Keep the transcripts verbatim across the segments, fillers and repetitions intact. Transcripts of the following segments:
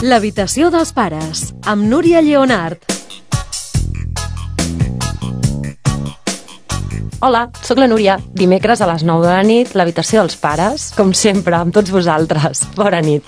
L'habitació dels pares, amb Núria Lleonart. Hola, sóc la Núria. Dimecres a les nou de la nit, l'habitació dels pares, com sempre, amb tots vosaltres. Bona nit.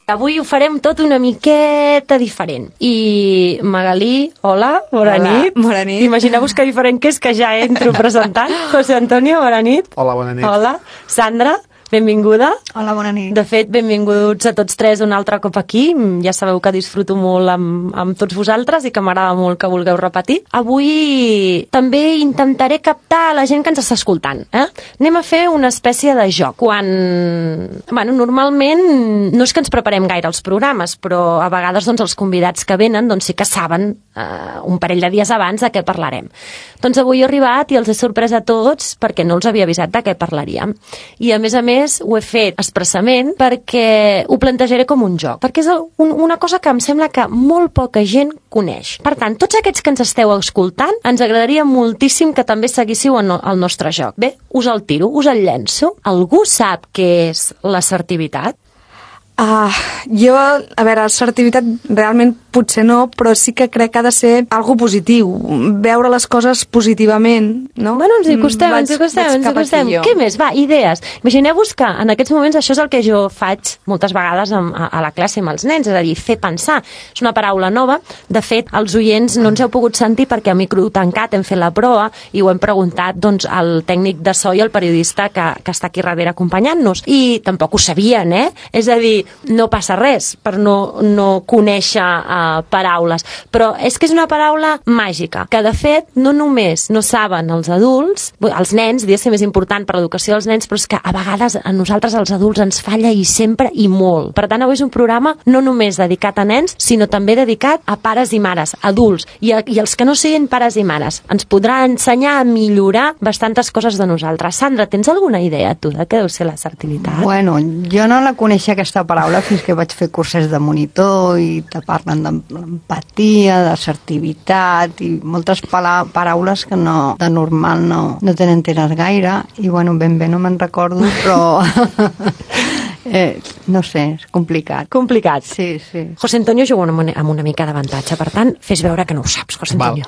Avui ho farem tot una miqueta diferent. I Magalí, hola, bona hola, nit. Bona nit. Imagineu-vos que diferent que és que ja entro presentant. José Antonio, bona nit. Hola, bona nit. Hola. Sandra, benvinguda. Hola, bona nit. De fet, benvinguts a tots tres un altre cop aquí. Ja sabeu que disfruto molt amb, amb tots vosaltres i que m'agrada molt que vulgueu repetir. Avui també intentaré captar la gent que ens està escoltant. Eh? Anem a fer una espècie de joc. Quan... Bueno, normalment no és que ens preparem gaire els programes, però a vegades doncs, els convidats que venen doncs, sí que saben eh, un parell de dies abans de què parlarem. Doncs avui he arribat i els he sorprès a tots perquè no els havia avisat de què parlaríem. I a més a més ho he fet expressament perquè ho plantejaré com un joc, perquè és un, una cosa que em sembla que molt poca gent coneix. Per tant, tots aquests que ens esteu escoltant, ens agradaria moltíssim que també seguíssiu el, el nostre joc. Bé, us el tiro, us el llenço. Algú sap què és l'assertivitat? Uh, jo, a veure, assertivitat realment potser no, però sí que crec que ha de ser algo positiu, veure les coses positivament, no? Bueno, ens hi acostem, ens hi acostem, ens hi acostem. Què més? Va, idees. Imagineu-vos que en aquests moments això és el que jo faig moltes vegades a, a la classe amb els nens, és a dir, fer pensar. És una paraula nova. De fet, els oients no ens heu pogut sentir perquè a micro tancat hem fet la prova i ho hem preguntat doncs, al tècnic de so i al periodista que, que està aquí darrere acompanyant-nos. I tampoc ho sabien, eh? És a dir, no passa res per no, no conèixer uh, paraules, però és que és una paraula màgica, que de fet no només no saben els adults, els nens, diria ser més important per l'educació dels nens, però és que a vegades a nosaltres els adults ens falla i sempre i molt. Per tant, avui és un programa no només dedicat a nens, sinó també dedicat a pares i mares, adults, i, a, i els que no siguin pares i mares. Ens podrà ensenyar a millorar bastantes coses de nosaltres. Sandra, tens alguna idea, tu, de què deu ser l'assertivitat? Bueno, jo no la coneixia aquesta paraula fins que vaig fer curses de monitor i te parlen d'empatia, d'assertivitat i moltes pala- paraules que no, de normal no, no te n'enteres gaire i bueno, ben bé no me'n recordo, però eh, no sé, és complicat. Complicat. Sí, sí. José Antonio juga amb una, amb una mica d'avantatge, per tant, fes veure que no ho saps, José Antonio.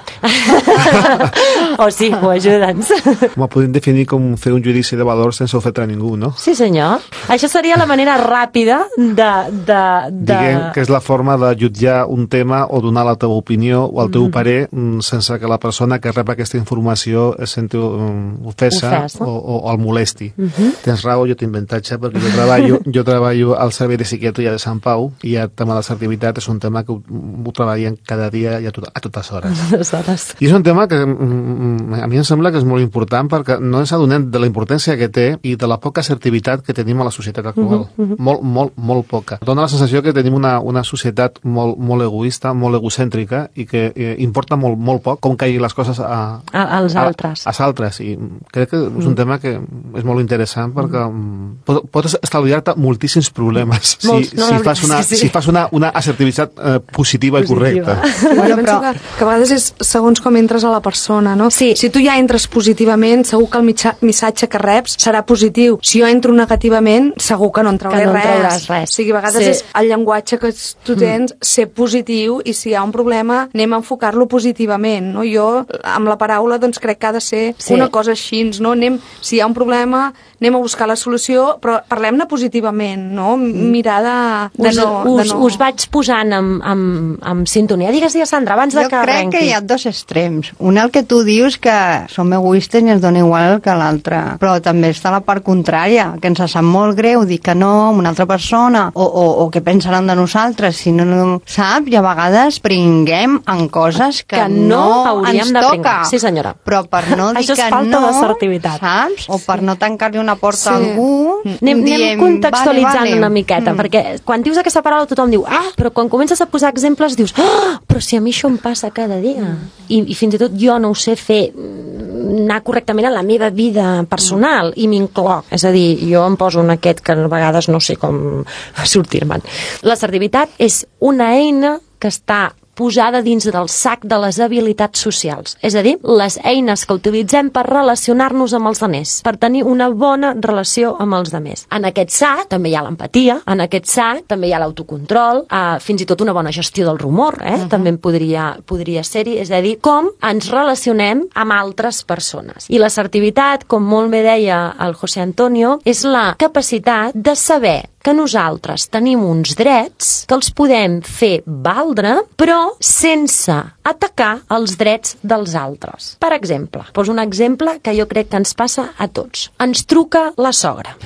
O sí, o ajuda'ns. M'ho podem definir com fer un judici de valor sense ofendre a ningú, no? Sí, senyor. Això seria la manera ràpida de... de, de... Diguem que és la forma de jutjar un tema o donar la teva opinió o el teu mm. parer sense que la persona que rep aquesta informació es senti um, ofesa Ofès, no? o, o el molesti. Mm -hmm. Tens raó, jo tinc avantatge perquè jo treballo, jo treballo al servei de psiquiatria de Sant Pau i el tema de l'assertivitat és un tema que ho, ho treballem cada dia i a, tot, a totes hores. hores. I és un tema que mm, a mi em sembla que és molt important perquè no ens adonem de la importància que té i de la poca assertivitat que tenim a la societat actual. Uh -huh. Molt, molt, molt poca. Dóna la sensació que tenim una, una societat molt, molt egoista, molt egocèntrica i que eh, importa molt, molt poc com caiguin les coses a, a, als a, altres. als altres. I crec que és un tema que és molt interessant perquè mm. pot, pots estalviar-te moltíssims problemes Molts, si, no, si, fas una, sí, sí. si fas una, una assertivitat eh, positiva, positiva i correcta. Bueno, penso que, que a vegades és segons com entres a la persona, no? Sí. Si tu ja entres positivament, segur que el mitja, missatge que reps serà positiu. Si jo entro negativament, segur que no en trauré que no res. trauràs res. O sigui, a vegades sí. és el llenguatge que tu tens, mm. ser positiu, i si hi ha un problema, anem a enfocar-lo positivament, no? Jo, amb la paraula, doncs crec que ha de ser sí. una cosa així, no? Anem, si hi ha un problema, anem a buscar la solució, però parlem-ne positivament, no? Mirar de, de, us, no, us, de no... us vaig posant en, en, en sintonia. Digues, digues, Sandra, abans de jo que crec arrenqui. que hi ha dos extrems. Un, el que tu dius que som egoistes i ens dona igual el que l'altre, però també està la part contrària, que ens sap molt greu dir que no a una altra persona, o, o, o què pensaran de nosaltres, si no, no saps, i a vegades pringuem en coses que, que no, no ens de toca. Pringar. Sí, senyora. Però per no dir això és que falta no, d'assertivitat. saps? O per no tancar-li una porta sí. a algú, anem, diem, anem contextualitzant vale, vale. una miqueta, mm. perquè quan dius aquesta paraula tothom diu, ah, però quan comences a posar exemples dius, ah, però si a mi això em passa cada dia. Mm. I, I fins i tot jo no ho sé fer, anar correctament en la meva vida personal, mm. i m'incloc. És a dir, jo em poso en aquest que a vegades no sé com sortir-me'n. L'assertivitat és una eina que està posada dins del sac de les habilitats socials, és a dir, les eines que utilitzem per relacionar-nos amb els altres, per tenir una bona relació amb els altres. En aquest sac també hi ha l'empatia, en aquest sac també hi ha l'autocontrol, eh, fins i tot una bona gestió del rumor, eh? Uh-huh. També podria, podria ser-hi, és a dir, com ens relacionem amb altres persones. I l'assertivitat, com molt bé deia el José Antonio, és la capacitat de saber que nosaltres tenim uns drets que els podem fer valdre, però sense atacar els drets dels altres. Per exemple, poso un exemple que jo crec que ens passa a tots. Ens truca la sogra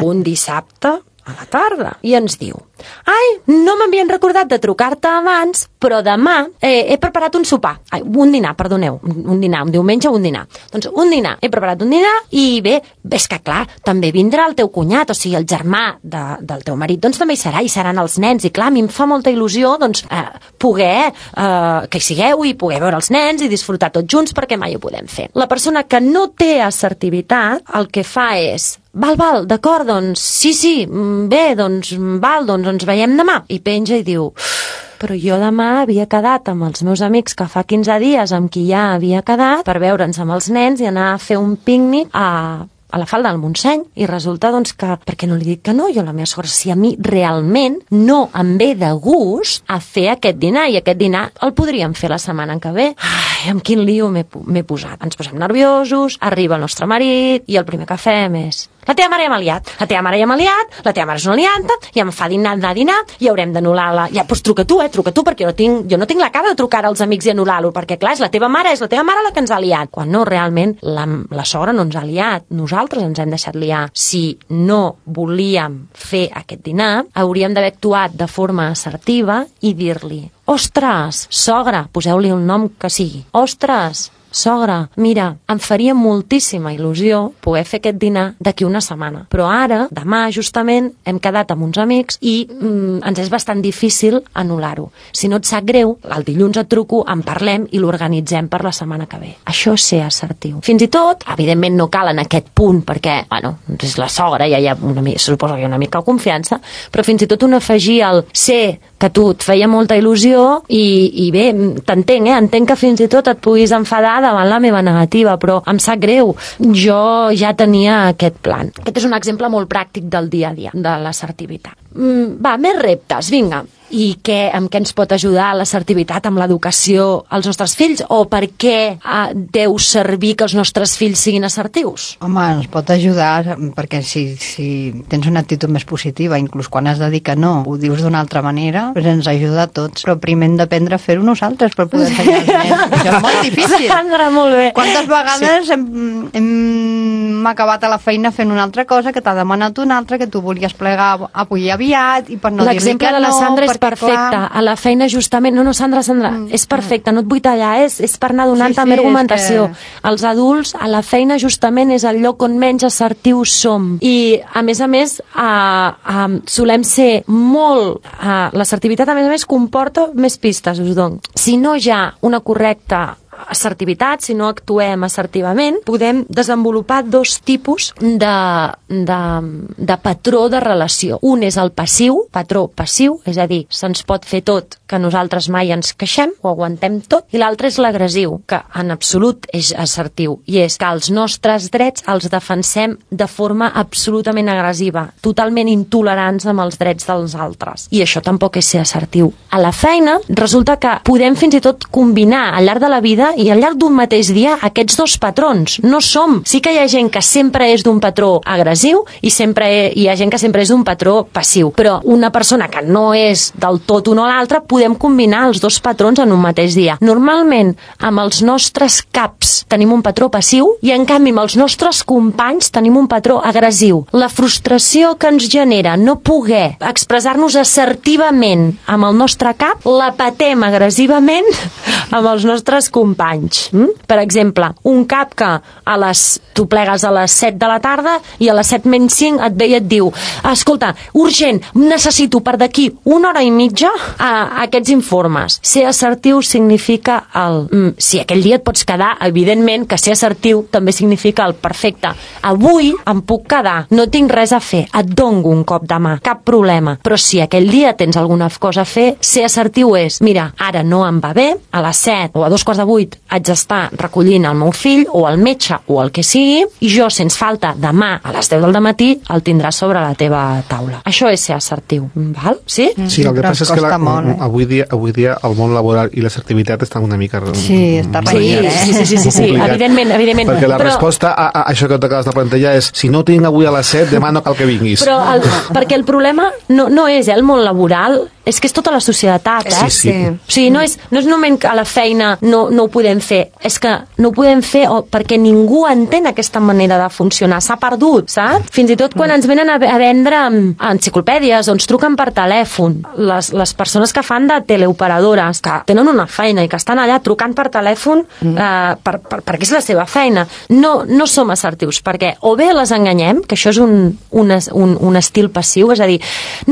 un dissabte a la tarda i ens diu: ai, no m'havien recordat de trucar-te abans, però demà eh, he preparat un sopar, ai, un dinar, perdoneu, un dinar, un diumenge un dinar. Doncs un dinar, he preparat un dinar i bé, és que clar, també vindrà el teu cunyat, o sigui, el germà de, del teu marit, doncs també hi serà, i seran els nens, i clar, a mi em fa molta il·lusió doncs eh, poder eh, que hi sigueu i poder veure els nens i disfrutar tots junts, perquè mai ho podem fer. La persona que no té assertivitat el que fa és: val, val, d'acord, doncs sí, sí, bé, doncs val, doncs ens veiem demà. I penja i diu: però jo demà havia quedat amb els meus amics que fa quinze dies amb qui ja havia quedat per veure'ns amb els nens i anar a fer un pícnic a... a la Falda del Montseny, i resulta doncs que, per què no li dic que no? Jo la meva sogra, si a mi realment no em ve de gust a fer aquest dinar, i aquest dinar el podríem fer la setmana que ve. Ai, amb quin lío m'he posat. Ens posem nerviosos, arriba el nostre marit, i el primer que fem és: la teva mare ja m'ha liat, la teva mare ja m'ha liat, la teva mare és una lianta, ja em fa dinar, anar a dinar, i haurem d'anul·lar la... Ja, doncs truca tu, eh, truca tu, perquè jo no tinc, jo no tinc la cara de trucar als amics i anul·lar-lo, perquè clar, és la teva mare, és la teva mare la que ens ha liat. Quan no, realment, la, la sogra no ens ha liat, nosaltres ens hem deixat liar. Si no volíem fer aquest dinar, hauríem d'haver actuat de forma assertiva i dir-li: ostres, sogra, poseu-li el nom que sigui, ostres, sogra, mira, em faria moltíssima il·lusió poder fer aquest dinar d'aquí una setmana, però ara, demà justament, hem quedat amb uns amics i mm, ens és bastant difícil anul·lar-ho. Si no et sap greu, el dilluns et truco, en parlem i l'organitzem per la setmana que ve. Això és ser assertiu. Fins i tot, evidentment no cal en aquest punt, perquè, bueno, és la sogra, ja hi ha una, suposo que hi ha una mica de confiança, però fins i tot un afegir el ser que tu et feia molta il·lusió i, i bé, t'entenc, eh? Entenc que fins i tot et puguis enfadar davant la meva negativa, però em sap greu, jo ja tenia aquest plan. Aquest és un exemple molt pràctic del dia a dia, de l'assertivitat. Mm, va, més reptes, vinga. I què, amb què ens pot ajudar l'assertivitat amb l'educació als nostres fills? O per què eh, deu servir que els nostres fills siguin assertius? Home, ens pot ajudar perquè si, si tens una actitud més positiva, inclús quan has de dir que no, ho dius d'una altra manera, doncs ens ajuda a tots. Però primer hem d'aprendre a fer-ho nosaltres per poder ensenyar als nens. Això és molt difícil. Sandra, molt bé. Quantes vegades sí. hem, hem acabat a la feina fent una altra cosa que t'ha demanat una altra, que tu volies plegar avui aviat i per no dir-li que no... L'exemple de la Sandra és perfecte. Clar. A la feina justament... No, no, Sandra, Sandra, mm. és perfecte, no et vull tallar, és, és per anar donant sí, també sí, argumentació. Que... Els adults, a la feina justament és el lloc on menys assertius som. I, a més a més, uh, uh, solem ser molt... Uh, l'assertivitat, a més a més, comporta més pistes, us dono. Si no hi ha una correcta assertivitat, si no actuem assertivament, podem desenvolupar dos tipus de, de, de patró de relació. Un és el passiu, patró passiu, és a dir, se'ns pot fer tot que nosaltres mai ens queixem o aguantem tot, i l'altre és l'agressiu, que en absolut és assertiu, i és que els nostres drets els defensem de forma absolutament agressiva, totalment intolerants amb els drets dels altres. I això tampoc és ser assertiu. A la feina resulta que podem fins i tot combinar al llarg de la vida i al llarg d'un mateix dia aquests dos patrons. No som... Sí que hi ha gent que sempre és d'un patró agressiu i sempre hi ha gent que sempre és d'un patró passiu, però una persona que no és del tot un o l'altre, podem combinar els dos patrons en un mateix dia. Normalment, amb els nostres caps tenim un patró passiu i, en canvi, amb els nostres companys tenim un patró agressiu. La frustració que ens genera no poder expressar-nos assertivament amb el nostre cap, la patem agressivament amb els nostres companys. companys. Mm? Per exemple, un cap que a les, tu plegues a les set de la tarda i a les set menys cinc et ve i et diu escolta, urgent, necessito per d'aquí una hora i mitja a, a aquests informes. Ser assertiu significa el... Mm, si aquell dia et pots quedar, evidentment que ser assertiu també significa el perfecte. Avui em puc quedar, no tinc res a fer, et dono un cop de mà, cap problema. Però si aquell dia tens alguna cosa a fer, ser assertiu és, mira, ara no em va bé, a les set o a dos quarts de vuit haig d'estar recollint el meu fill o el metge o el que sigui, i jo, sense falta, demà a les deu del matí el tindràs sobre la teva taula. Això és ser assertiu, val? Sí? Sí, el que passa és que la, molt, eh? avui, dia, avui dia el món laboral i l'assertivitat estan una mica... Sí, està renyit, eh? Sí, sí, sí, sí, sí, evidentment, evidentment. Perquè la però... resposta a, a això que t'acabes de plantejar és si no ho tinc avui a les set, demà no cal que vinguis. Però el, perquè el problema no, no és eh, el món laboral, és que és tota la societat, eh? Sí, sí. O sigui, no és, no és només que a la feina no, no ho podem fer, és que no ho podem fer o, perquè ningú entén aquesta manera de funcionar, s'ha perdut, saps? Fins i tot quan ens venen a, a vendre enciclopèdies o ens truquen per telèfon, les, les persones que fan de teleoperadores, que tenen una feina i que estan allà trucant per telèfon mm. eh, per, per, perquè és la seva feina, no, no som assertius, perquè o bé les enganyem, que això és un, un, un, un estil passiu, és a dir,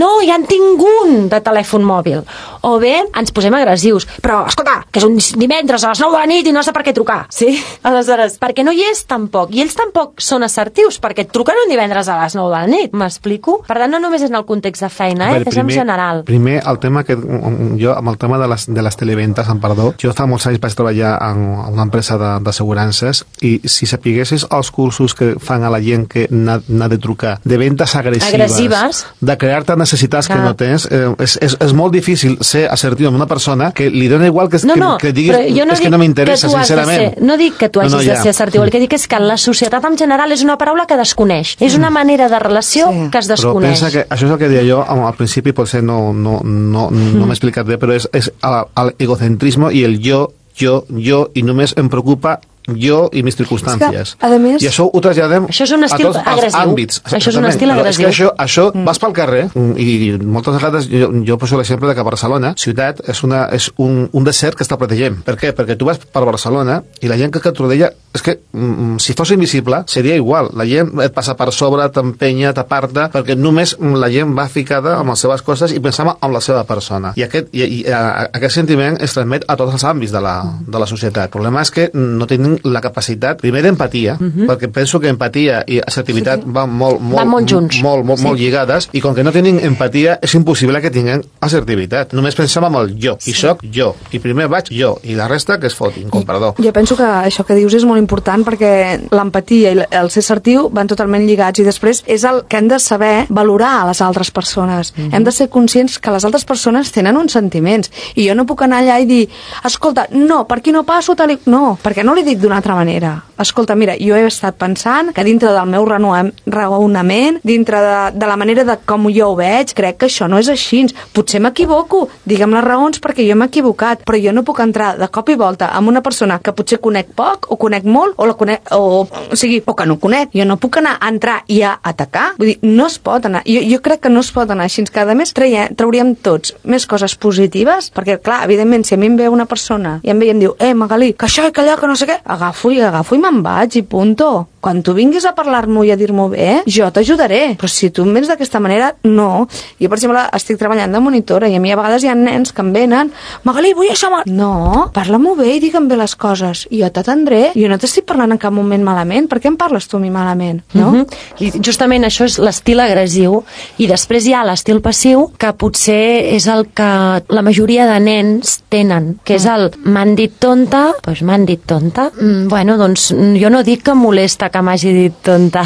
no, ja en tinc un de telèfon mòbil, o bé ens posem agressius, però escolta, que és un divendres a les nou de la nit i no sé per què trucar, sí? Aleshores, perquè no hi és tampoc, i ells tampoc són assertius, perquè et truquen un divendres a les nou de la nit, m'explico? Per tant, no només en el context de feina, eh? Veure, és primer, en general. Primer, el tema que jo, amb el tema de les, de les televentes, em perdó, jo fa molts anys vaig treballar en una empresa d'assegurances i si sapiguessis els cursos que fan a la gent que n'ha de trucar, de ventes agressives, agressives. de crear-te necessitats que, que no tens, eh, és, és, és molt difícil ser assertiu amb una persona que li dona igual que, no, no, que, que diguis no és que no m'interessa, sincerament. Ser, no dic que tu hagis no, no, ja. de ser assertiu, el que dic és que la societat en general és una paraula que desconeix, és una manera de relació sí. que es desconeix. Però pensa que això és el que deia jo al principi, potser no, no, no, no m'he explicat bé, però és, és l'egocentrisme i el jo, jo, jo, i només em preocupa jo i mis circumstàncies. Que, a més, I això ho traslladem això és un estil a tots agressiu. els àmbits. Això és un estil agressiu. agressiu. És que això, això mm. vas pel carrer i moltes vegades jo, jo poso l'exemple de que Barcelona, ciutat, és, una, és un, un desert que està protegent. Per què? Perquè tu vas per Barcelona i la gent que et rodella és que mm, si fos invisible seria igual. La gent et passa per sobre, t'empenya, t'aparta, perquè només la gent va ficada amb les seves coses i pensava en la seva persona. I aquest, i, i, a, aquest sentiment es transmet a tots els àmbits de la, de la societat. El problema és que no tenim la capacitat primer d'empatia, uh -huh. perquè penso que empatia i assertivitat sí, sí. van molt, molt, van molt junts, molt, molt, sí. molt lligades, i com que no tenen empatia és impossible que tinguin assertivitat. Només pensem en el jo, sí. i soc jo, i primer vaig jo, i la resta que es fotin, com perdó. Jo penso que això que dius és molt important perquè l'empatia i el ser assertiu van totalment lligats, i després és el que hem de saber valorar a les altres persones. Uh -huh. Hem de ser conscients que les altres persones tenen uns sentiments, i jo no puc anar allà i dir, escolta, no, per aquí no passo, tal i... no, perquè no li dic d'una altra manera. Escolta, mira, jo he estat pensant que dintre del meu raonament, dintre de, de la manera de com jo ho veig, crec que això no és així. Potser m'equivoco, digue'm les raons perquè jo m'he equivocat, però jo no puc entrar de cop i volta amb una persona que potser conec poc o conec molt o la conec, o, o sigui, o que no conec. Jo no puc anar a entrar i a atacar. Vull dir, no es pot anar. Jo, jo crec que no es pot anar així, que a més traia, trauríem tots més coses positives, perquè clar, evidentment, si a mi em ve una persona i em ve i em diu, eh, Magalí, que això i que allò, que no sé què, agafo i agafo i me'n vaig i punto. Quan tu vinguis a parlar-m'ho i a dir-m'ho bé, jo t'ajudaré. Però si tu em vens d'aquesta manera, no. Jo, per exemple, estic treballant de monitora i a mi a vegades hi ha nens que em venen, Magalí, vull això... No, parla-m'ho bé i digue'm bé les coses. I jo t'atendré. Jo no t'estic parlant en cap moment malament. Per què em parles tu a mi malament? No? Uh -huh. I justament això és l'estil agressiu. I després hi ha l'estil passiu, que potser és el que la majoria de nens tenen, que és el m'han dit tonta, doncs m'han dit tonta. Mm, bueno, doncs jo no dic que molesta que m'hagi dit tonta.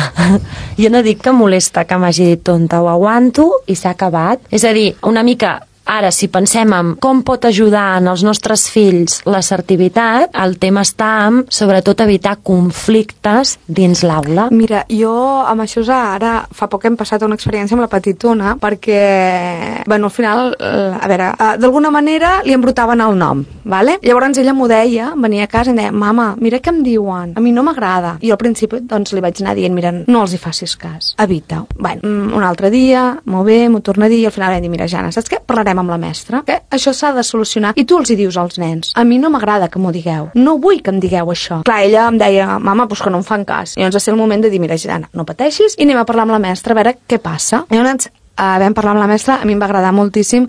Jo no dic que molesta que m'hagi dit tonta, ho aguanto i s'ha acabat. És a dir, una mica... Ara, si pensem en com pot ajudar en els nostres fills l'assertivitat, el tema està en, sobretot, evitar conflictes dins l'aula. Mira, jo amb això ara fa poc hem passat una experiència amb la petitona, perquè, bueno, al final, a veure, d'alguna manera li embrotaven el nom, vale? Llavors ella m'ho deia, venia a casa i em deia, mama, mira què em diuen, a mi no m'agrada. I al principi, doncs, li vaig anar dient, mira, no els hi facis cas, evita-ho. Bueno, un altre dia, molt bé, m'ho torna a dir, i al final vam dir, mira, Jana, saps què? Parlarem parlarem amb la mestra, que això s'ha de solucionar. I tu els hi dius als nens, a mi no m'agrada que m'ho digueu, no vull que em digueu això. Clar, ella em deia, mama, doncs que no em fan cas. I llavors va ser el moment de dir, mira, Gitana, no pateixis, i anem a parlar amb la mestra a veure què passa. I llavors Uh, vam parlar amb la mestra, a mi em va agradar moltíssim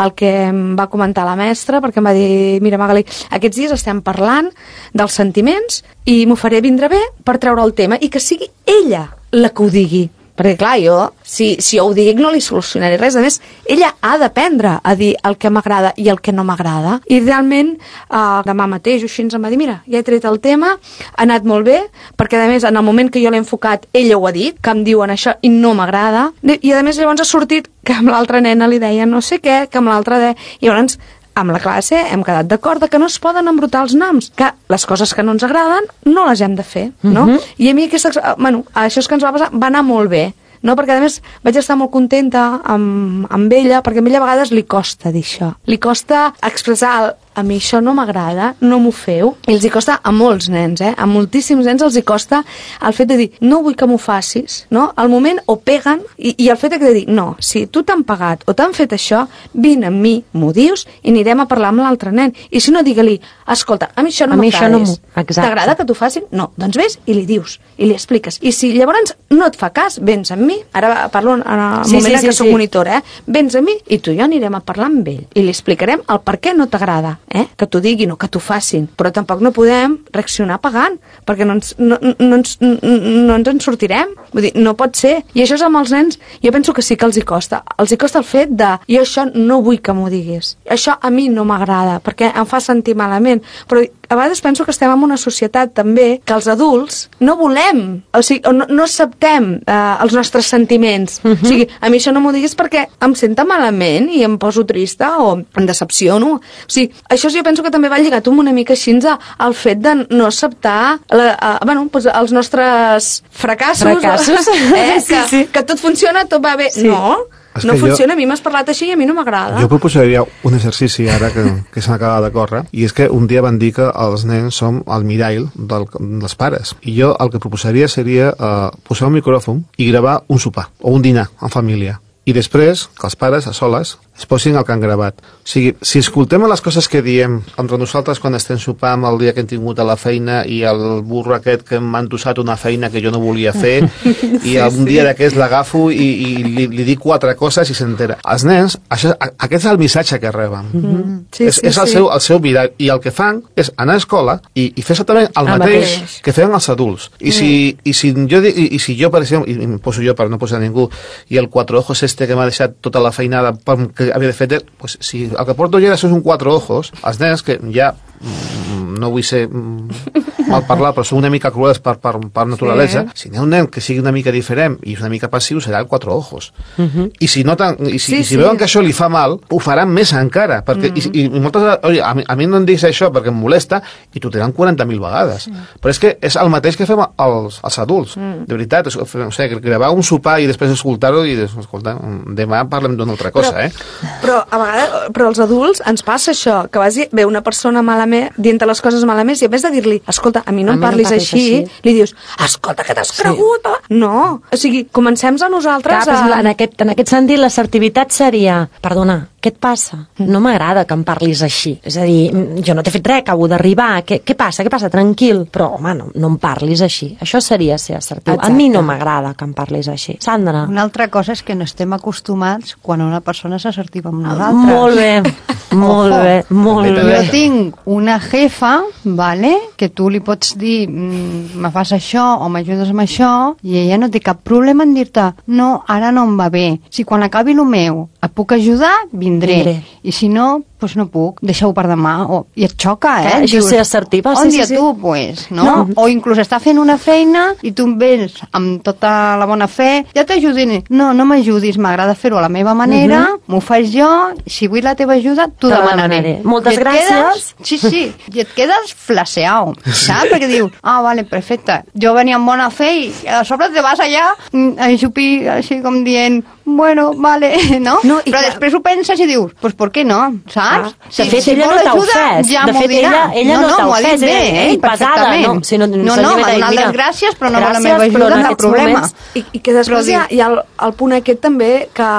el que em va comentar la mestra, perquè em va dir, mira Magali, aquests dies estem parlant dels sentiments i m'ho faré vindre bé per treure el tema i que sigui ella la que ho digui. Perquè, clar, jo, si, si jo ho dic, no li solucionaré res. A més, ella ha d'aprendre a dir el que m'agrada i el que no m'agrada. I realment, eh, demà mateix, així ens em va dir, mira, ja he tret el tema, ha anat molt bé, perquè, a més, en el moment que jo l'he enfocat, ella ho ha dit, que em diuen això i no m'agrada. I, a més, llavors ha sortit que amb l'altra nena li deia no sé què, que amb l'altra de... I llavors, amb la classe hem quedat d'acord que no es poden embrutar els noms, que les coses que no ens agraden no les hem de fer, no? Uh-huh. I a mi aquesta, bueno, això que ens va passar va anar molt bé, no? Perquè a més vaig estar molt contenta amb, amb ella, perquè a ella a vegades li costa dir això, li costa expressar el, a mi això no m'agrada, no m'ho feu, i els hi costa a molts nens, eh? A moltíssims nens els hi costa el fet de dir, no vull que m'ho facis, no? Al moment o peguen, i, i el fet de dir, no, si tu t'han pagat o t'han fet això, vine amb mi, m'ho dius, i anirem a parlar amb l'altre nen. I si no, digue-li, escolta, a mi això no m'agrada. T'agrada que t'ho facin? No, doncs vés i li dius, i li expliques. I si llavors no et fa cas, vens amb mi, ara parlo en el sí, moment sí, en què sí, soc sí. monitora, eh? Vens a mi i tu i jo anirem a parlar amb ell, i li explicarem el per què no t'agrada, eh? Que t'ho diguin o que t'ho facin, però tampoc no podem reaccionar pagant, perquè no ens, no, no, ens, no ens en sortirem, vull dir, no pot ser. I això és amb els nens, jo penso que sí que els hi costa, els hi costa el fet de, jo això no vull que m'ho diguis, això a mi no m'agrada, perquè em fa sentir malament, però a vegades penso que estem en una societat també que els adults no volem, o sigui, no, no acceptem eh, els nostres sentiments. Uh-huh. O sigui, a mi això no m'ho diguis perquè em senta malament i em poso trista o em decepciono. O sigui, això jo penso que també va lligat una mica així al fet de no acceptar la, eh, bueno, doncs els nostres fracassos, fracassos. Eh, sí, que, sí. que tot funciona, tot va bé. Sí. No, És no funciona, jo, a mi m'has parlat així i a mi no m'agrada. Jo proposaria un exercici ara que, que se m'acaba de córrer, i és que un dia van dir que els nens som el mirall del, dels pares, i jo el que proposaria seria uh, posar un micròfon i gravar un sopar o un dinar en família, i després que els pares a soles es posin el que han gravat. O sigui, si escoltem les coses que diem entre nosaltres quan estem sopant el dia que hem tingut a la feina i el burro aquest que m'ha endossat una feina que jo no volia fer i sí, un dia sí. d'aquests l'agafo i, i li, li dic quatre coses i s'entera. Els nens, això, aquest és el missatge que reben. Mm-hmm. sí, és sí, és el, sí. seu, el seu mirall, i el que fan és anar a escola i, i fer exactament el, el mateix, mateix que feien els adults. I, mm. si, i, si jo, i, i si jo, per exemple, i em poso jo per no posar ningú, i el quatre ojos este que m'ha deixat tota la feinada que havia de fer, pues, si el que porto ja és un quatre ojos, els nens que ja no vull ser mal parlar, però són una mica cruels per, per, per naturalesa, sí. Si n'hi ha un nen que sigui una mica diferent i una mica passiu, serà el quatre ojos. Uh-huh. I si noten, i si, sí, i si sí. veuen que això li fa mal, ho faran més encara, perquè, uh-huh. i, i moltes, oi, a, mi, a mi no em diguis això perquè em molesta, i t'ho diran quaranta mil vegades. Uh-huh. Però és que és el mateix que fem els, els adults, uh-huh. de veritat. O sigui, gravar un sopar i després escoltar-ho i escolta, demà parlem d'una altra cosa, però, eh? Però a vegades, però als adults ens passa això, que vas ve una persona malament, dient les coses malament, i a més de dir-li, escolta, a mi no a em parlis no així, així, li dius, escolta, que t'has cregut? Sí. No, o sigui, comencem a nosaltres Clar, a... En aquest, en aquest sentit, l'assertivitat seria, perdona, què et passa? No m'agrada que em parlis així. És a dir, jo no t'he fet res, acabo d'arribar, què, què passa? Què passa? Tranquil. Però, home, no, no em parlis així. Això seria ser assertiu. Exacte. A mi no m'agrada que em parlis així. Sandra. Una altra cosa és que no estem acostumats quan una persona és assertiva amb nosaltres. Molt bé, molt bé, molt bé. Jo tinc una jefa, vale, que tu li pots dir, me fas això o m'ajudes amb això, i ella no té cap problema en dir-te, no, ara no em va bé. Si quan acabi el meu et puc ajudar, vindré. vindré. I si no, doncs no puc, deixa-ho per demà. O, I et xoca, eh? Clar, això és ser assertiva. On sí, dia sí, tu, sí. pues, no? no? O inclús està fent una feina i tu em vens amb tota la bona fe, ja t'ajudaré. No, no m'ajudis, m'agrada fer-ho a la meva manera, uh-huh. m'ho faig jo, si vull la teva ajuda, t'ho demanaré. demanaré. Moltes gràcies. Quedes, sí, sí, i et quedes flaseau, saps? Perquè dius, ah, vale, perfecte. Jo venia amb bona fe i a sobre te vas allà a xupir, així com dient, bueno, vale, no? No, i Però clar- després ho penses i dius, pues per què no, saps? Ah, de fet, ella vol no t'ha ajuda, ofès. ja De m'ho fet, dirà. ella- ella no t'ha m'ho ha dit ofès, bé, eh? eh? Pesada, Perfectament. no? Si no- no, no, no, m'ha m'ha dit, donat mira, les gràcies, però no vol la gràcies, meva però ajuda, en cap aquests problema. moments- I, i que després Però hi ha, dic- hi ha el, el punt aquest també que,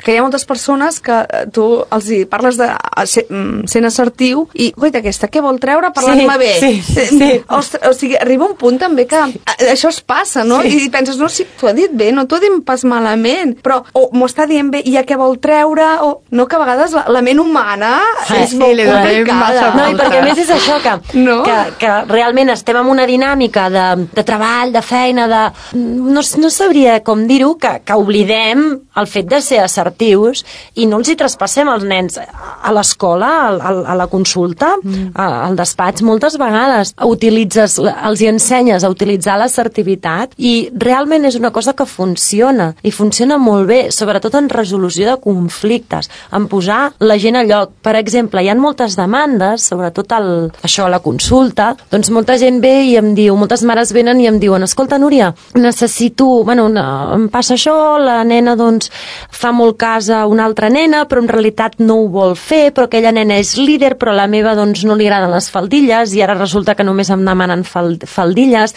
que hi ha moltes persones que eh, tu els hi parles de eh, ser, mm, sent assertiu i, guaita, aquesta què vol treure parlant-me Sí, bé? sí, sí. Eh, Ostres, o sigui, arriba un punt també que eh, això es passa, no? Sí. I penses, no, sí, t'ho ha dit bé, no t'ho ha dit pas malament, però o m'ho està dient bé i a què vol treure, o no, que a vegades la, la ment humana Sí, és sí, molt li donem complicada. massa No, i perquè a més és això, que, No. que, que realment estem en una dinàmica de, de treball, de feina, de... No, no sabria com dir-ho, que, que oblidem el fet de ser assertius i no els hi traspassem als nens a l'escola, a, a la consulta, mm. al despatx. Moltes vegades utilitzes, els hi ensenyes a utilitzar l'assertivitat i realment és una cosa que funciona, i funciona molt bé, sobretot en resolució de conflictes, en posar la gent a lloc. Per exemple, hi ha moltes demandes, sobretot el, això, la consulta, doncs molta gent ve i em diu, moltes mares venen i em diuen, escolta, Núria, necessito, bueno, una, em passa això, la nena doncs fa molt cas a una altra nena, però en realitat no ho vol fer, però aquella nena és líder, però la meva doncs no li agraden les faldilles, i ara resulta que només em demanen fal, faldilles,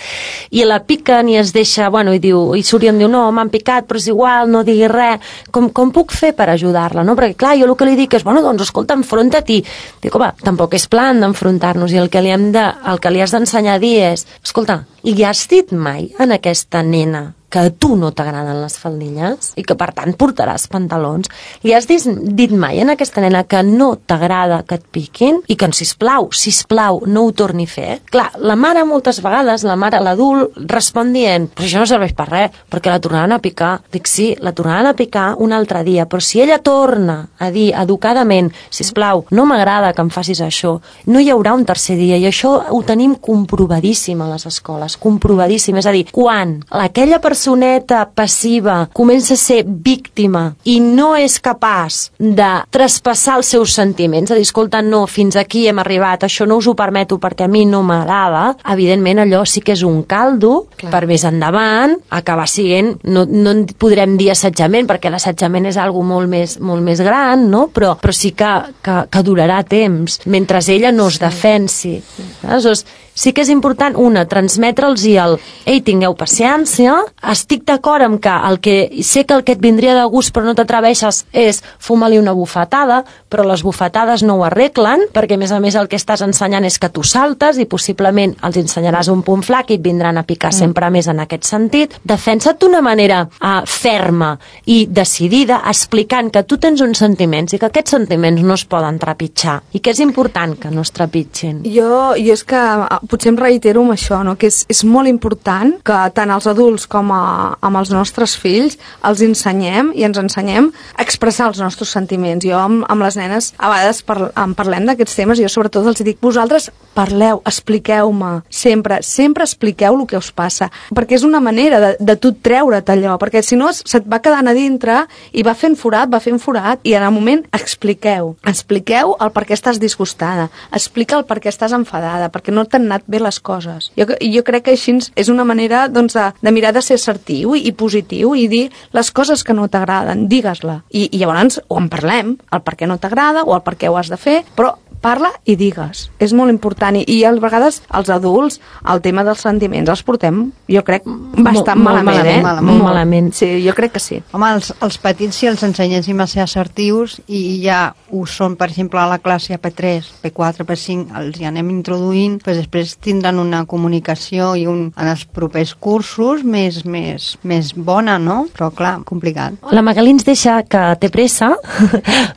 i la piquen i es deixa, bueno, i diu, i surt i em diu, no, m'han picat, però és igual, no diguis res, com, com puc fer per ajudar-la, no? Perquè clar, jo el que li dic és, bueno, doncs escolta, enfronta-t'hi. Dic, home, tampoc és plan d'enfrontar-nos, i el que li hem de, el que li has d'ensenyar a dir és, escolta, li has dit mai en aquesta nena que a tu no t'agraden les faldilles i que per tant portaràs pantalons? Li has dit, dit mai en aquesta nena que no t'agrada que et piquin i que, sisplau, sisplau, no ho torni a fer? Clar, la mare moltes vegades, la mare, l'adult, respon dient, però això no serveix per res, perquè la tornaran a picar. Dic, sí, la tornaran a picar un altre dia, però si ella torna a dir educadament, sisplau, no m'agrada que em facis això, no hi haurà un tercer dia, i això ho tenim comprovadíssim a les escoles, comprovadíssim. És a dir, quan aquella persona personeta passiva comença a ser víctima i no és capaç de traspassar els seus sentiments, a dir, escolta, no, fins aquí hem arribat, això no us ho permeto perquè a mi no m'agrada, evidentment allò sí que és un caldo. Clar. Per més endavant acabar sent, no, no en podrem dir assetjament, perquè l'assetjament és algo molt més, molt més gran, no? però, però sí que, que, que durarà temps, mentre ella no es defensi. Aleshores, sí que és important, una, transmetre'ls i el ei, tingueu paciència, estic d'acord amb que el que sé que el que et vindria de gust però no t'atreveixes és fumar-li una bufetada, però les bufetades no ho arreglen, perquè a més a més el que estàs ensenyant és que tu saltes i possiblement els ensenyaràs un punt flac i et vindran a picar mm. sempre més en aquest sentit. Defensa't d'una manera uh, ferma i decidida, explicant que tu tens uns sentiments i que aquests sentiments no es poden trepitjar i que és important que no es trepitgin. Jo, jo és que potser em reitero amb això, no? Que és, és molt important que tant els adults com a, amb els nostres fills els ensenyem i ens ensenyem a expressar els nostres sentiments. Jo amb, amb les nenes a vegades par, en parlem d'aquests temes i jo sobretot els dic, vosaltres parleu, expliqueu-me, sempre, sempre expliqueu el que us passa, perquè és una manera de, de tu treure't allò, perquè si no se't va quedant a dintre i va fent forat, va fent forat, i en el moment expliqueu, expliqueu el per què estàs disgustada, explica el per què estàs enfadada, perquè no t'han anat bé les coses. Jo, jo crec que així és una manera doncs, de, de mirar de ser assertiu i, i positiu i dir les coses que no t'agraden, digues-la. I, I llavors o en parlem, el per què no t'agrada o el per què ho has de fer, però parla i digues. És molt important. I, i a vegades els adults, el tema dels sentiments, els portem, jo crec, bastant molt, malament, malament, eh? Molt, molt malament. Sí, jo crec que sí. Home, els, els petits, si els ensenyéssim a ser assertius i ja ho són, per exemple, a la classe a P tres, P quatre, P cinc, els hi anem introduint, doncs després tindran una comunicació i un, en els propers cursos més, més, més bona, no? Però, clar, complicat. La Magalí ens deixa que té pressa.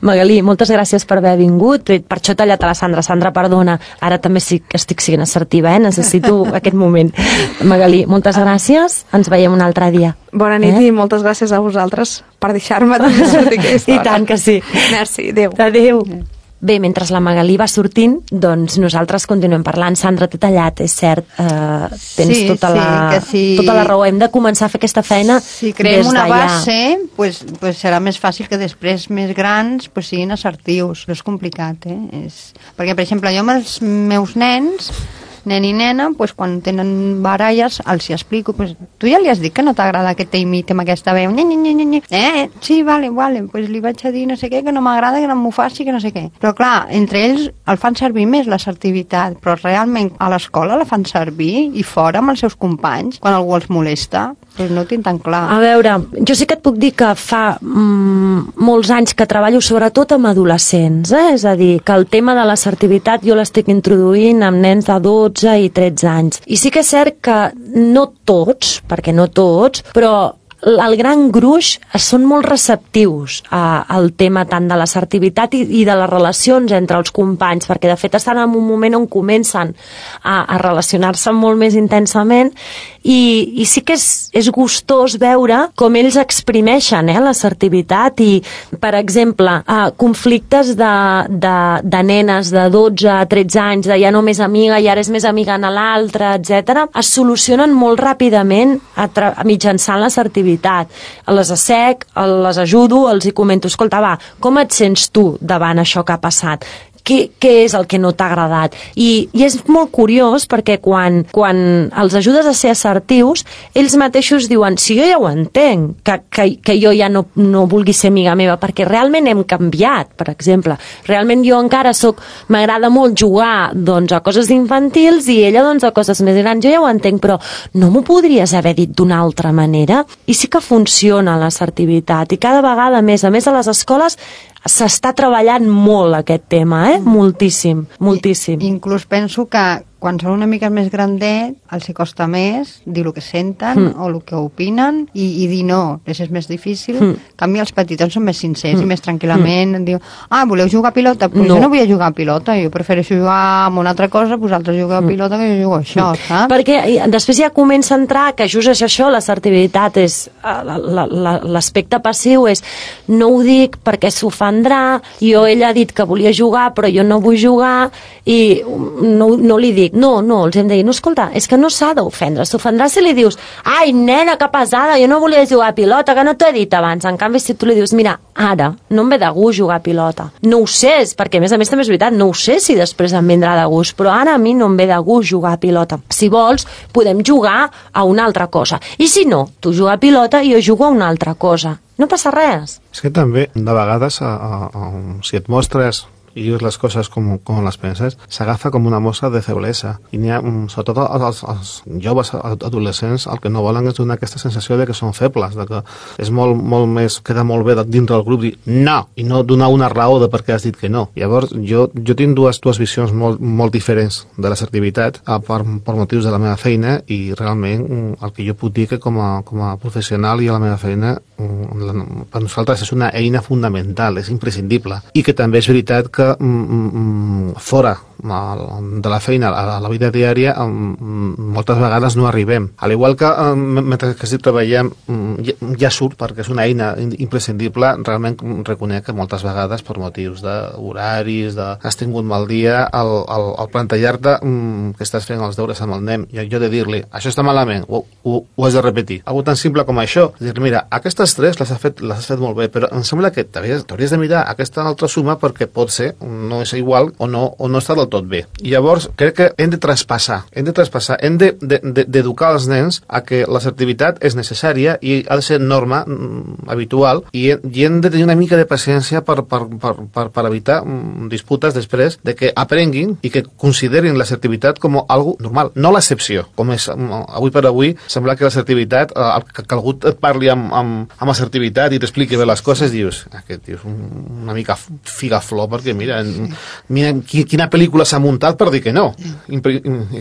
Magalí, moltes gràcies per haver vingut. Per això t'ha tallat a la Sandra. Sandra, perdona, ara també sí que estic sent assertiva, eh? Necessito aquest moment. Magalí, moltes gràcies. Ens veiem un altre dia. Bona nit eh? I moltes gràcies a vosaltres per deixar-me sortir aquesta I tant que sí. Merci, adéu. Adéu. Bé, mentre la Magalí va sortint, doncs nosaltres continuem parlant. Sandra, t'he tallat, és cert. Eh, tens sí, tota, sí, la, sí. tota la raó. Hem de començar a fer aquesta feina si creem des una d'allà. base, pues, pues serà més fàcil que després més grans pues, siguin assertius. Però és complicat, eh? És... Perquè, per exemple, jo amb els meus nens nen i nena, pues, quan tenen baralles, els hi explico, pues, tu ja li has dit que no t'agrada que t'imiti amb aquesta veu, nye, nye, nye, nye. eh, sí, vale, vale, pues li vaig a dir no sé què, que no m'agrada, que no m'ho faci, que no sé què. Però clar, entre ells el fan servir més l'assertivitat, però realment a l'escola la fan servir i fora amb els seus companys, quan algú els molesta, pues no ho tinc tan clar. A veure, jo sí que et puc dir que fa mm, molts anys que treballo sobretot amb adolescents, eh? És a dir, que el tema de l'assertivitat jo l'estic introduint amb nens de dotze i tretze anys. I sí que és cert que no tots, perquè no tots, però el gran gruix són molt receptius a, al tema tant de l'assertivitat i, i de les relacions entre els companys, perquè de fet estan en un moment on comencen a, a relacionar-se molt més intensament i, i sí que és, és gustós veure com ells exprimeixen eh, l'assertivitat i, per exemple, eh, conflictes de, de, de nenes de dotze a tretze anys, de ja no més amiga i ara és més amiga en l'altra, etcètera, es solucionen molt ràpidament a tra- mitjançant l'assertivitat. Les assec, les ajudo, els hi comento, escolta, va, com et sents tu davant això que ha passat? Què, què és el que no t'ha agradat? I, i és molt curiós perquè quan, quan els ajudes a ser assertius, ells mateixos diuen, si jo ja ho entenc, que, que, que jo ja no, no vulgui ser amiga meva, perquè realment hem canviat, per exemple. Realment jo encara soc, m'agrada molt jugar doncs, a coses infantils i ella doncs, a coses més grans. Jo ja ho entenc, però no m'ho podries haver dit d'una altra manera? I sí que funciona l'assertivitat i cada vegada més, a més a les escoles s'està treballant molt aquest tema, eh? Moltíssim, moltíssim. I, inclús penso que quan són una mica més grandet, els hi costa més dir el que senten mm. o el que opinen i, i dir no, és més difícil. Mm. En canvi, els petitons són més sincers mm. i més tranquil·lament. Mm. Diu, ah, voleu jugar a pilota? Però no. jo no vull jugar a pilota, jo prefereixo jugar amb una altra cosa, vosaltres jugueu a pilota que jo jugo a això, mm. saps? Perquè després ja comença a entrar que just és això, l'assertivitat és l'aspecte passiu és no ho dic perquè s'ofendrà, jo ella ha dit que volia jugar però jo no vull jugar i no, no li dic. No, no, els hem de dir, no, escolta, és que no s'ha d'ofendre, s'ofendrà si li dius ai, nena, que pesada, jo no volia jugar a pilota, que no t'ho he dit abans. En canvi, si tu li dius, mira, ara no em ve de gust jugar a pilota, no ho sé, perquè a més a més també és veritat, no ho sé si després em vendrà de gust, però ara a mi no em ve de gust jugar a pilota. Si vols, podem jugar a una altra cosa, i si no, tu jugar a pilota i jo jugo a una altra cosa, no passa res. És que també, de vegades, a, a, a, si et mostres i dius les coses com, com les penses, s'agafa com una mostra de feblesa. I n'hi ha, sobretot els, els joves adolescents, el que no volen és donar aquesta sensació de que són febles, de que és molt, molt més, queda molt bé dintre del grup dir no, i no donar una raó de per què has dit que no. Llavors, jo, jo tinc dues, dues visions molt, molt diferents de l'assertivitat per, per motius de la meva feina i realment el que jo puc dir que com a, com a professional i a la meva feina per nosaltres és una eina fundamental, és imprescindible. I que també és veritat que que mm, fora de la feina a la vida diària moltes vegades no arribem. Al igual que mentre que estic treballant ja surt perquè és una eina imprescindible, realment reconec que moltes vegades per motius d'horaris, de has tingut mal dia, el, el, el plantejar-te que estàs fent els deures amb el nen i jo de dir-li, això està malament, ho, ho, ho has de repetir. Algo tan simple com això, dir-li, mira, aquestes tres les has fet, les has fet molt bé, però em sembla que t'hauries de mirar aquesta altra suma perquè pot ser, no és igual o no, o no està del tot bé. I llavors crec que hem de traspassar, hem de traspassar, hem d'educar els nens a que l'assertivitat és necessària i ha de ser norma mm, habitual i, i hem de tenir una mica de paciència per, per, per, per, per evitar mm, disputes després de que aprenguin i que considerin l'assertivitat com algo normal, no l'excepció. Com és avui per avui, sembla que l'assertivitat, eh, que, que algú et parli amb, amb, amb assertivitat i t'expliqui bé les coses, dius, aquest tio és una mica figaflor perquè mira, mira quina pel·lícula s'ha muntat per dir que no. Impre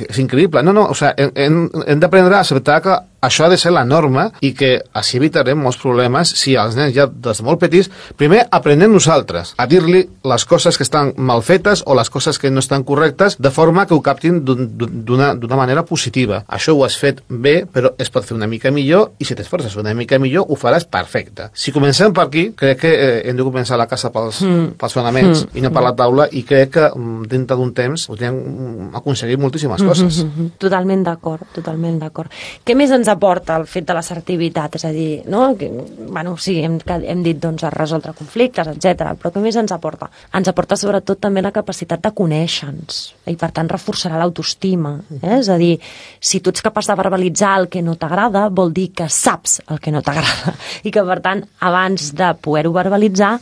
és increïble. No, no, o sigui, hem, hem d'aprendre a acceptar que això ha de ser la norma i que així evitarem molts problemes si els nens ja des de molt petits, primer aprenem nosaltres a dir-li les coses que estan mal fetes o les coses que no estan correctes de forma que ho captin d'una manera positiva. Això ho has fet bé, però es pot fer una mica millor i si t'esforces una mica millor ho faràs perfecte. Si comencem per aquí, crec que eh, hem de començar la casa pels, mm. pels fonaments mm. i no per la taula i crec que dintre d'un temps podríem aconseguir moltíssimes coses. Mm -hmm. Totalment d'acord, totalment d'acord. Què més ens aporta el fet de l'assertivitat? És a dir, no? Que, bueno, sí, hem, hem dit doncs, a resoldre conflictes, etcètera. Però què més ens aporta? Ens aporta sobretot també la capacitat de conèixer-nos i per tant reforçarà l'autoestima. Eh? És a dir, si tu ets capaç de verbalitzar el que no t'agrada, vol dir que saps el que no t'agrada i que per tant abans de poder-ho verbalitzar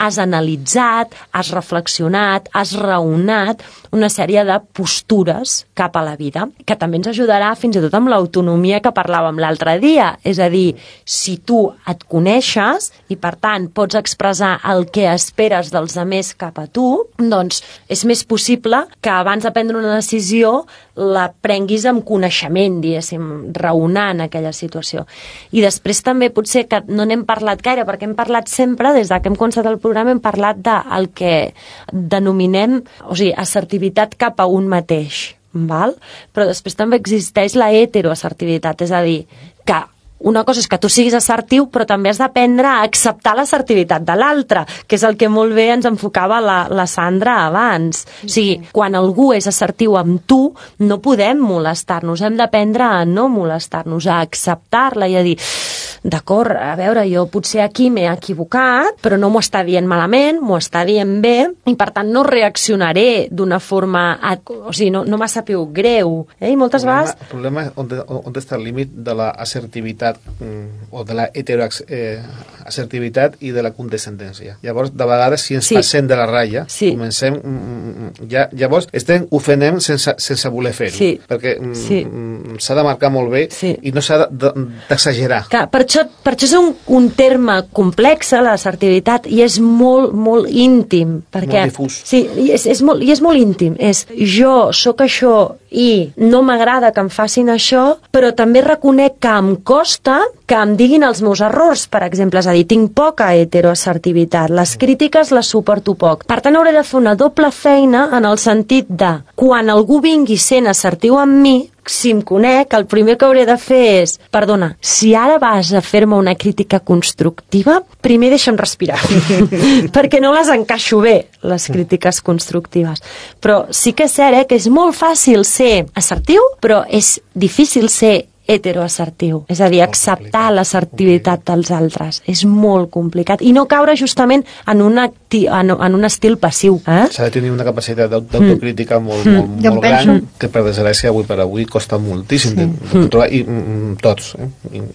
has analitzat, has reflexionat, has raonat una sèrie de postures cap a la vida, que també ens ajudarà fins i tot amb l'autonomia que parlàvem l'altre dia. És a dir, si tu et coneixes i per tant pots expressar el que esperes dels altres cap a tu, doncs és més possible que abans de prendre una decisió la prenguis amb coneixement, diguéssim, raonant aquella situació. I després també potser que no n'hem parlat gaire, perquè hem parlat sempre, des que hem començat el programa, hem parlat del que denominem, o sigui, assertivitat cap a un mateix, val? Però després també existeix la heteroassertivitat, és a dir, que una cosa és que tu siguis assertiu, però també has d'aprendre a acceptar l'assertivitat de l'altre, que és el que molt bé ens enfocava la, la Sandra abans. O sigui, quan algú és assertiu amb tu, no podem molestar-nos, hem d'aprendre a no molestar-nos, a acceptar-la i a dir, d'acord, a veure, jo potser aquí m'he equivocat, però no m'ho està dient malament, m'ho està dient bé, i per tant no reaccionaré d'una forma, o sigui, no, no m'ha sabut greu. Eh? I moltes problema, vegades... El problema és on, on està el límit de l'assertivitat o de la heteroassertivitat eh, i de la condescendència. Llavors, de vegades, si ens sí. passem de la ratlla, sí. comencem... Ja, llavors, estem ofenem sense, sense voler fer-ho, sí. perquè sí. s'ha de marcar molt bé sí. i no s'ha d'exagerar. Clar, per això, per això és un, un terme complex, l'assertivitat, i és molt, molt íntim. Perquè, molt difús. Sí, i és, és molt, i és molt íntim. És jo sóc això i no m'agrada que em facin això, però també reconec que em costa que em diguin els meus errors, per exemple. És a dir, tinc poca heteroassertivitat, les crítiques les suporto poc. Per tant, hauré de fer una doble feina en el sentit de, quan algú vingui sent assertiu amb mi, si em conec, el primer que hauré de fer és, perdona, si ara vas a fer-me una crítica constructiva, primer deixa'm respirar, perquè no les encaixo bé, les crítiques constructives. Però sí que és cert, eh, que és molt fàcil ser assertiu, però és difícil ser heteroassertiu, és a dir, acceptar l'assertivitat dels altres. És molt complicat. I no caure justament en, una, en, en un estil passiu. Eh? S'ha de tenir una capacitat d'autocrítica mm. molt, molt, mm. molt gran, penso... que per desgràcia avui per avui costa moltíssim sí. de, de controlar, i mm, tots, eh?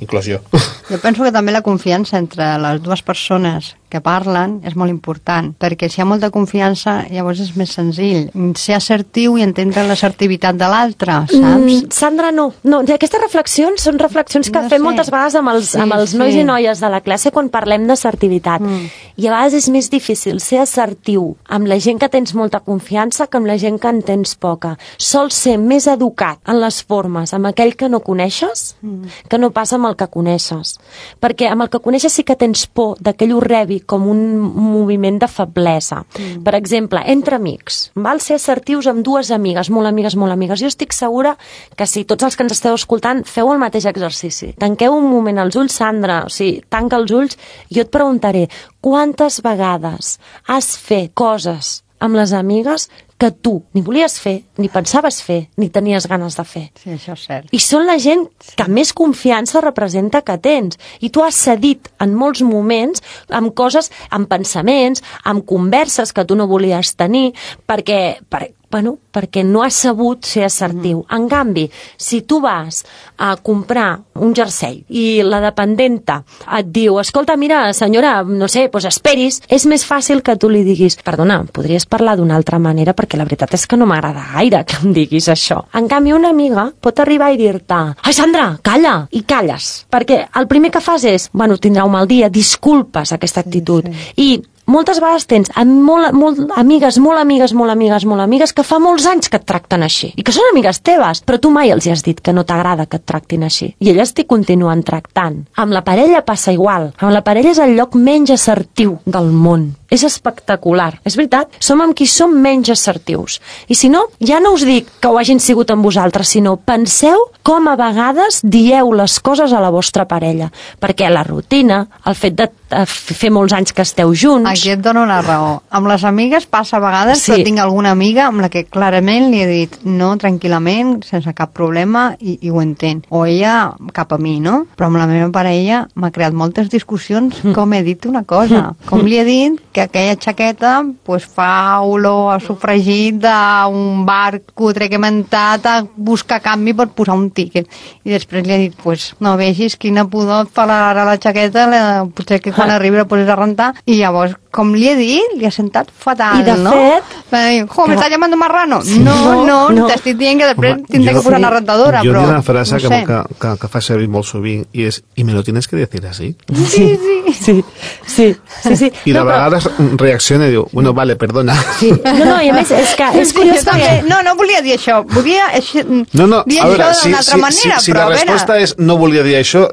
inclús jo. Jo penso que també la confiança entre les dues persones que parlen és molt important, perquè si hi ha molta confiança, llavors és més senzill ser assertiu i entendre l'assertivitat de l'altre, saps? Mm, Sandra, no. no. Aquestes reflexions són reflexions que no fem sé. moltes vegades amb els, sí, amb els nois sí. i noies de la classe quan parlem d'assertivitat. Mm. I a vegades és més difícil ser assertiu amb la gent que tens molta confiança que amb la gent que en tens poca. Sol ser més educat en les formes amb aquell que no coneixes mm. que no passa amb el que coneixes. Perquè amb el que coneixes sí que tens por de que ell ho rebi com un moviment de feblesa. Mm. Per exemple, entre amics, val ser assertius amb dues amigues, molt amigues, molt amigues. Jo estic segura que si tots els que ens esteu escoltant feu el mateix exercici. Tanqueu un moment els ulls, Sandra, o sigui, tanca els ulls, i jo et preguntaré, quantes vegades has fet coses amb les amigues que tu ni volies fer, ni pensaves fer, ni tenies ganes de fer. Sí, això és cert. I són la gent sí. que més confiança representa que tens. I tu has cedit en molts moments amb coses, amb pensaments, amb converses que tu no volies tenir, perquè, per, bueno, perquè no has sabut ser assertiu. Mm. En canvi, si tu vas a comprar un jersei i la dependenta et diu, escolta, mira, senyora, no sé, doncs esperis, és més fàcil que tu li diguis, perdona, podries parlar d'una altra manera perquè la veritat és que no m'agrada gaire que em diguis això. En canvi, una amiga pot arribar i dir-te, ai, Sandra, calla, i calles. Perquè el primer que fas és, bueno, tindrà un mal dia, disculpes aquesta actitud. Sí, sí. I moltes vegades tens molt, molt, amigues, molt amigues, molt amigues, molt amigues, que fa molts anys que et tracten així, i que són amigues teves, però tu mai els hi has dit que no t'agrada que et tractin així, i elles t'hi continuen tractant. Amb la parella passa igual. Amb la parella és el lloc menys assertiu del món. És espectacular. És veritat, som amb qui som menys assertius. I si no, ja no us dic que ho hagin sigut amb vosaltres, sinó penseu com a vegades dieu les coses a la vostra parella, perquè la rutina, el fet de fer molts anys que esteu junts. Aquí et dono la raó. Amb les amigues passa a vegades, Sí. però tinc alguna amiga amb la que clarament li he dit no, tranquil·lament, sense cap problema, i, i ho entén. O ella cap a mi, no? Però amb la meva parella m'ha creat moltes discussions com he dit una cosa. Com li he dit que aquella jaqueta pues, fa olor a sofregit d'un bar cutre que m'ha entrat a buscar canvi per posar un tíquet. I després li he dit, pues, no vegis quina pudor et fa ara la jaqueta, la, potser que quan arribi la poses a rentar. I llavors, com li he dit, li ha sentat fatal, I de no? fet... Va dir, jo, que... m'estàs llamant marrano? Sí. No, no, No, no, no. t'estic dient que després Home, tindré jo- que posar sí. una rentadora, Jo però... hi ha una frase no que, sé. que, que, que fa servir molt sovint i és, i me lo tienes que decir así. Sí, sí, sí, sí, sí, sí. I de No, però- vegades reacciona i diu, bueno, vale, perdona. Sí. No, no, i a més, és que és Sí, curiós jo també. perquè... No, no volia dir això. Volia així, No, no, dir a veure, això si, d'una altra si, manera, si, si però la a veure... resposta és no volia dir això,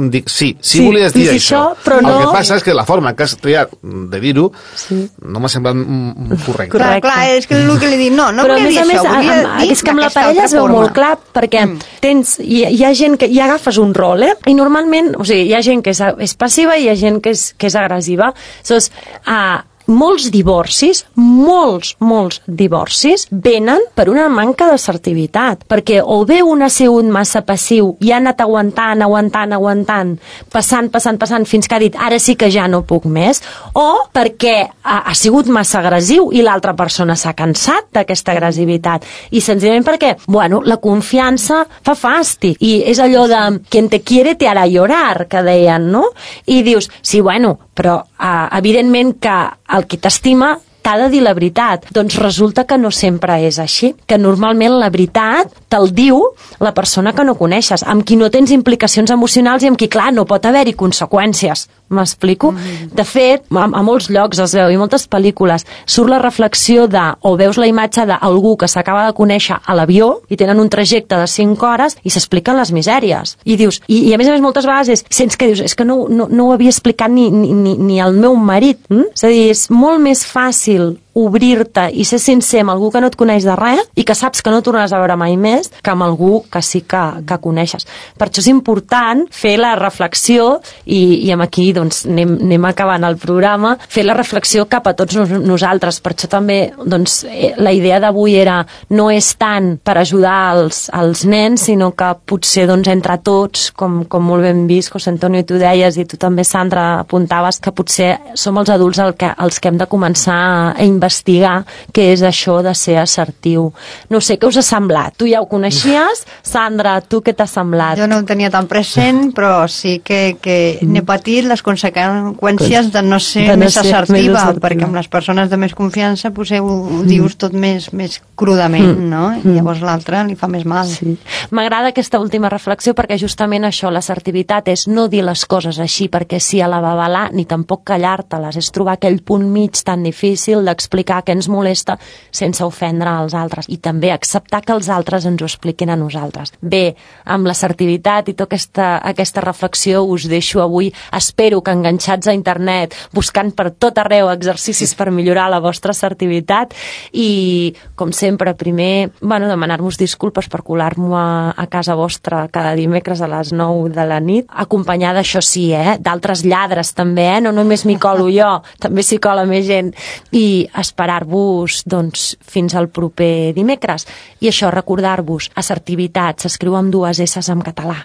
dic sí, sí, Sí, volies dir sí, això. això, però no- El que passa és que la forma que has triat de dir-ho Sí. no m'ha semblat mm, mm, correcte. Clar, Correcte. clar, és que és el que li dic, no, no Però a volia més dir a més, això, volia amb, dir és que amb la d'aquesta parella altra es veu forma. molt clar, perquè Mm. tens, hi, hi ha gent que hi agafes un rol, eh? I normalment, o sigui, hi ha gent que és, és passiva i hi ha gent que és, que és agressiva. Aleshores, uh, molts divorcis, molts, molts divorcis venen per una manca d'assertivitat, perquè o bé un ha sigut massa passiu i ha anat aguantant, aguantant, aguantant, passant, passant, passant, fins que ha dit ara sí que ja no puc més, o perquè ha, ha sigut massa agressiu i l'altra persona s'ha cansat d'aquesta agressivitat, i senzillament perquè, bueno, la confiança fa fàstic, i és allò de quien te quiere te hará llorar, que deien, no? I dius, sí, bueno, però uh, evidentment que el qui t'estima t'ha de dir la veritat. Doncs resulta que no sempre és així, que normalment la veritat te'l diu la persona que no coneixes, amb qui no tens implicacions emocionals i amb qui, clar, no pot haver-hi conseqüències. M'explico? Mm. De fet, a, a molts llocs es veu, i moltes pel·lícules, surt la reflexió de, o veus la imatge d'algú que s'acaba de conèixer a l'avió i tenen un trajecte de cinc hores i s'expliquen les misèries. I dius, i, i a més a més moltes vegades és, sents que dius, és que no, no, no ho havia explicat ni, ni, ni, ni el meu marit. Mm? És a dir, és molt més fàcil obrir-te i ser sincer amb algú que no et coneix de res i que saps que no tornaràs a veure mai més que amb algú que sí que, que coneixes. Per això és important fer la reflexió i, i amb aquí doncs, anem, anem acabant el programa, fer la reflexió cap a tots nos, nosaltres. Per això també doncs, la idea d'avui era no és tant per ajudar els, els nens, sinó que potser doncs, entre tots, com, com molt ben vist, José Antonio, i tu deies, i tu també, Sandra, apuntaves, que potser som els adults el que, els que hem de començar a investigar què és això de ser assertiu. No sé, què us ha semblat? Tu ja ho coneixies? Sandra, tu què t'ha semblat? Jo no ho tenia tan present, però sí que, que n'he patit les conseqüències de no ser de no més, ser assertiva, més assertiva, perquè amb les persones de més confiança potser ho, ho dius tot més, més crudament, Mm. no? I llavors l'altre li fa més mal. Sí. M'agrada aquesta última reflexió perquè justament això, l'assertivitat és no dir les coses així perquè sí a la babalà, ni tampoc callar-te-les, és trobar aquell punt mig tan difícil d'explicar què ens molesta sense ofendre als altres i també acceptar que els altres ens ho expliquin a nosaltres. Bé, amb l'assertivitat i tota aquesta, aquesta reflexió us deixo avui, espero que enganxats a internet, buscant per tot arreu exercicis per millorar la vostra assertivitat i, com sempre, primer, bueno, demanar-vos disculpes per colar-m'ho a, a casa vostra cada dimecres a les nou de la nit, acompanyada, això sí, eh, d'altres lladres també, eh, no només m'hi colo jo, també s'hi cola més gent, i esperar-vos, doncs, fins al proper dimecres. I això, recordar-vos, assertivitat, s'escriu amb dues esses en català.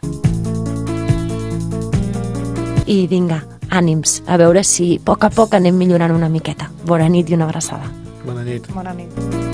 I vinga, ànims, a veure si a poc a poc anem millorant una miqueta. Bona nit i una abraçada. Bona nit. Bona nit.